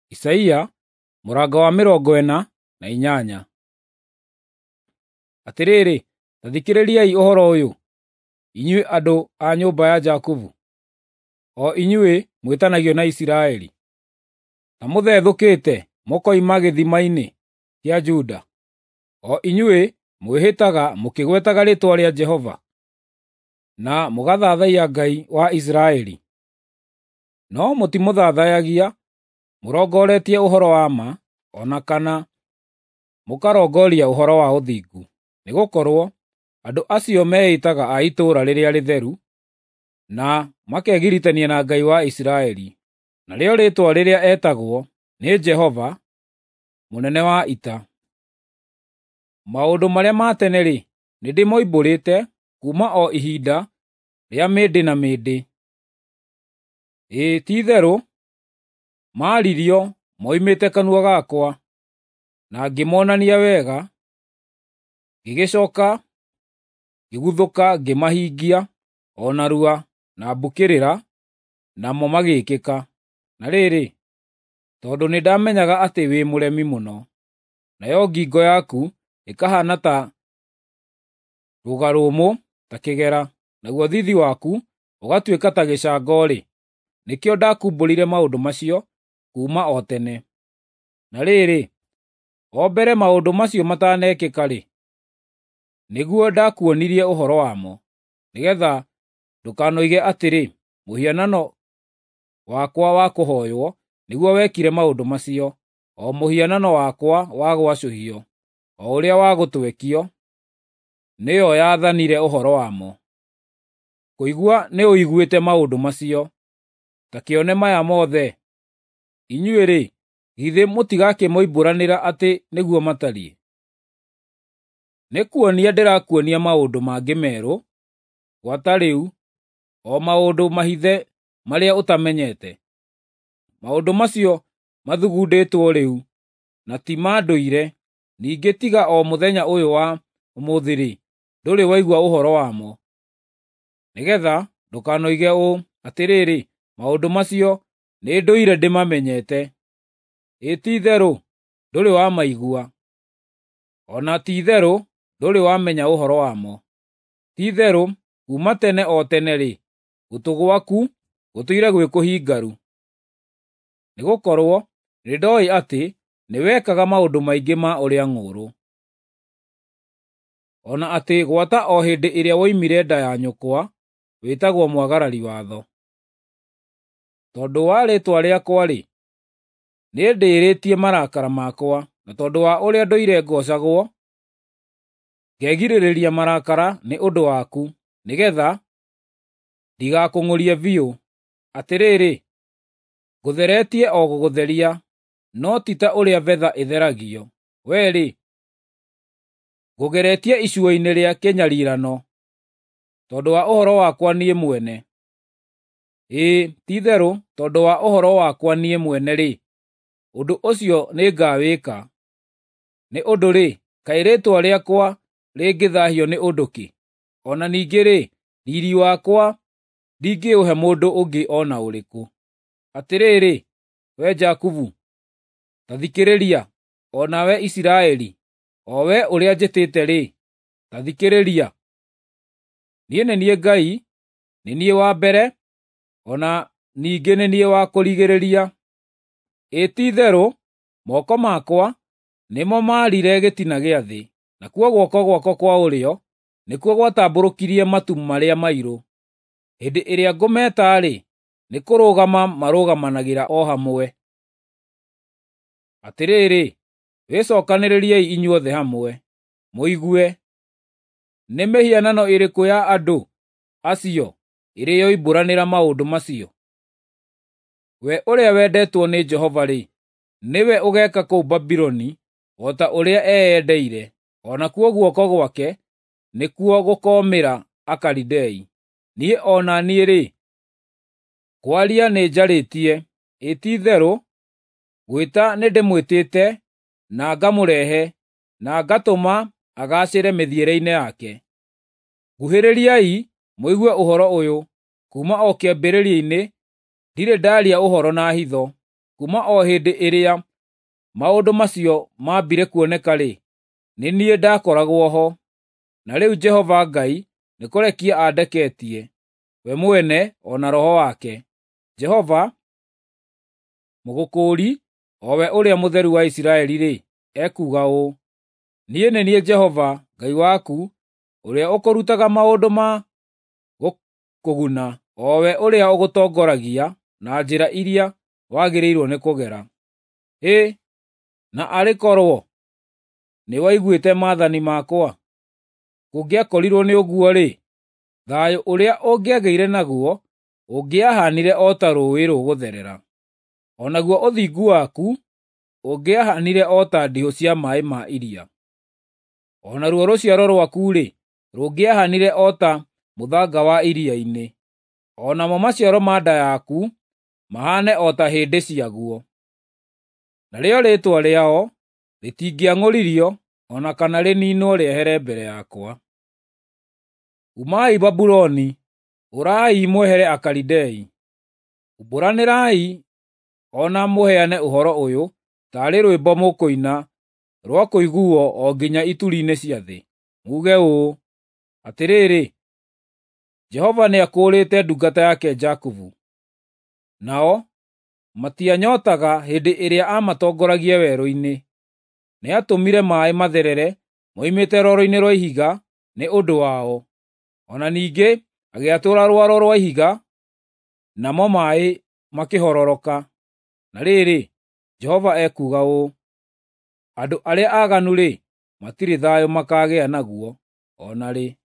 Isaia mũrango wa 48. Atĩrĩrĩ, ta thikĩrĩriai ũhoro ũyũ, inyuĩ andũ a nyũmba ya Jakubu, o inyuĩ mwĩtanagio na Isiraeli. Ta mũthethũkĩte mũkoima gĩthima-inĩ kĩa Juda, o inyuĩ mwĩhĩtaga mũkĩgwetaga rĩĩtwa rĩa Jehova, na mũgathathaiya Ngai wa Isiraeli. No mũtimũthathayagia mũrongoretie ũhoro wa ma, o na kana mũkarongoria ũhoro wa ũthingu, nĩgũkorwo andũ acio meĩtaga a itũũra rĩrĩa rĩtheru, na makegiritania na Ngai wa Isiraeli. Narĩo rĩĩtwa rĩrĩa etagwo nĩ Jehova, mũnene wa ita. Maũndũ marĩa ma tene-rĩ, nĩndĩmoimbũrĩte kuuma o ihinda rĩa mĩndĩ na mĩndĩ. Ĩĩ, ti-itherũ maaririo moimĩte kanua gakwa, na ngĩmonania wega, ngĩgĩcooka ngĩguthũka ngĩmahingia o narua na mbũkĩrĩra, namo magĩĩkĩka. Na rĩrĩ, tondũ nĩndamenyaga atĩ wĩ mũremi mũno, nayo ngingo yaku ĩkahaana ta rũga rũmũ ta kĩgera, naguo thiithi waku ũgatuĩka ta gĩcango-rĩ, nĩkĩo ndakumbũrire maũndũ macio kuuma o tene. Na rĩrĩ, o mbere maũndũ macio matanekĩka-rĩ, nĩguo ndakuonirie ũhoro wamo, nĩgeetha ndũkanoige atĩrĩ, ‘Mũhianano wakwa wa kũhooywo nĩguo wekire maũndũ macio, o mũhianano wakwa wa gwacũhio, o ũrĩa wa gũtwekio, nĩyo yaathanire ũhoro wamo.’ Kũigua nĩũiguĩte maũndũ macio, ta kĩone maya mothe. Inyuĩ-rĩ, githĩ mũtigakĩmoimbũranĩra atĩ nĩguo matariĩ? Nĩkuonia ndĩrakuonia maũndũ mangĩ merũ, gwata rĩu, o maũndũ mahithe marĩa ũtamenyete. Maũndũ macio mathugundĩtwo rĩu, na ti ma ndũire, ningĩ tiga o mũthenya ũyũ wa ũmũthĩ-rĩ, ndũrĩ waigua ũhoro wamo. Nĩgeetha ndũkanoige ũũ, ‘Atĩrĩrĩ, maũndũ macio nĩndũire ndĩmamenyete.’ Ĩ ti-itherũ ndũrĩ wamaigua, o na ti-itherũ ndũrĩ wamenya ũhoro wamo. Ti-itherũ kuuma tene o tene-rĩ, gũtũ gwaku gũtũire gwĩ kũhingaru. Nĩgũkorwo nĩndooĩ atĩ nĩwekaga maũndũ maingĩ ma ũrĩa ng'ũũrũ, o na atĩ gwata o hĩndĩ ĩrĩa woimire nda ya nyũkwa wĩtagwo mwagarari watho. Tondũ wa rĩĩtwa rĩakwa-rĩ, nĩndĩĩrĩtie marakara makwa, na tondũ wa ũrĩa ndũire ngoocagwo, ngegirĩrĩria marakara nĩ ũndũ waku, nĩgeetha ndigakũng'ũrie biũ. Atĩrĩrĩ, ngũtheretie o gũgũtheria, no ti ta ũrĩa betha ĩtheragio. Wee-rĩ, ngũgeretie icua-inĩ rĩa kĩnyariirano, tondũ wa ũhoro wakwa niĩ mwene. Ĩĩ, ti-itherũ tondũ wa ũhoro wakwa niĩ mwene-rĩ, ũndũ ũcio nĩngawĩka. Nĩ ũndũ-rĩ, kaĩ rĩĩtwa rĩakwa rĩngĩthaahio nĩ ũndũ kĩ? O na ningĩ-rĩ, riiri wakwa ndingĩũhe mũndũ ũngĩ o na ũrĩkũ. Atĩrĩrĩ, wee Jakubu, ta thikĩrĩria, o nawe Isiraeli, o wee ũrĩa njĩtĩte-rĩ, ta thikĩrĩria. Niĩ nĩ niĩ Ngai, nĩ niĩ wa mbere, o na ningĩ nĩ niĩ wa kũrigĩrĩria. Ĩ ti-itherũ moko makwa nĩmo maarire gĩtina gĩa thĩ, nakuo guoko gwakwa kwa ũrĩo nĩkuo gwatambũrũkirie matu marĩa mairũ. Hĩndĩ ĩrĩa ngũmeeta-rĩ, nĩkũrũgama marũgamanagĩra o hamwe. Atĩrĩrĩ, wĩcookanĩrĩriei inyuothe hamwe, mũigue. Nĩ mĩhianano ĩrĩkũ ya andũ acio ĩrĩ yoimbũranĩra maũndũ macio? We ũrĩa wendetwo nĩ Jehova-rĩ, nĩwe ũgeeka kũu Babuloni o ta ũrĩa eyendeire, o nakuo guoko gwake nĩkuo gũkoomĩra Akalidei. Niĩ o na niĩ-rĩ, kwaria nĩnjarĩtie, ĩ ti-itherũ gwĩta nĩndĩmwĩtĩte na ngamũrehe, na ngatũma agaacĩre mĩthiĩre-inĩ yake. Nguhĩrĩriai mũigue ũhoro ũyũ: kuuma o kĩambĩrĩria-inĩ ndirĩ ndaaria ũhoro na hitho, Kuuma o hĩndĩ ĩrĩa maũndũ macio maambire kuoneka-rĩ, nĩ niĩ ndakoragwo ho. Na rĩu Jehova Ngai nĩ kũrekia andeketie, we mwene o na Roho wake. Jehova, Mũgũkũũri, o we Ũrĩa Mũtheru wa Isiraeli-rĩ, ekuuga ũũ: Niĩ nĩ niĩ Jehova Ngai waku, ũrĩa ũkũrutaga maũndũ ma gũkũguna, o we ũrĩa ũgũtongoragia na njĩra ĩrĩa wagĩrĩirwo nĩ kũgera. Hĩ, na arĩ korwo nĩwaiguĩte maathani makwa! Kũngĩakorirwo nĩ ũguo-rĩ, thayũ ũrĩa ũngĩagĩire naguo ũngĩahaanire o ta rũũĩ rũgũtherera, o naguo ũthingu waku ũngĩahaanire o ta ndihũ cia maaĩ ma iria. O naruo rũciaro rwaku-rĩ, rũngĩahaanire o ta mũthanga wa iria-inĩ, o namo maciaro ma nda yaku mahaane o ta hĩndĩ ciaguo. Narĩo rĩĩtwa rĩao rĩtingĩang'ũririo o na kana rĩniinwo rĩehere mbere yakwa. Umai Babuloni, ũrai mwehere Akalidei. Umbũranĩrai o na mũheane ũhoro ũyũ taarĩ rwĩmbo mũkũina rwa kũiguuo o nginya ituri-inĩ cia thĩ, muuge ũũ: Atĩrĩrĩ, Jehova nĩakũũrĩte ndungata yake Jakubu. Nao matianyootaga hĩndĩ ĩrĩa aamatongoragia werũ-inĩ. Nĩatũmire maaĩ matherere moimĩte rwaro-inĩ rwa ihiga nĩ ũndũ wao, o na ningĩ agĩatũra rwaro rwa ihiga, namo maaĩ makĩhororoka. Na rĩrĩ, Jehova ekuuga ũũ: Andũ arĩa aaganu-rĩ, matirĩ thayũ makaagĩa naguo o na rĩ.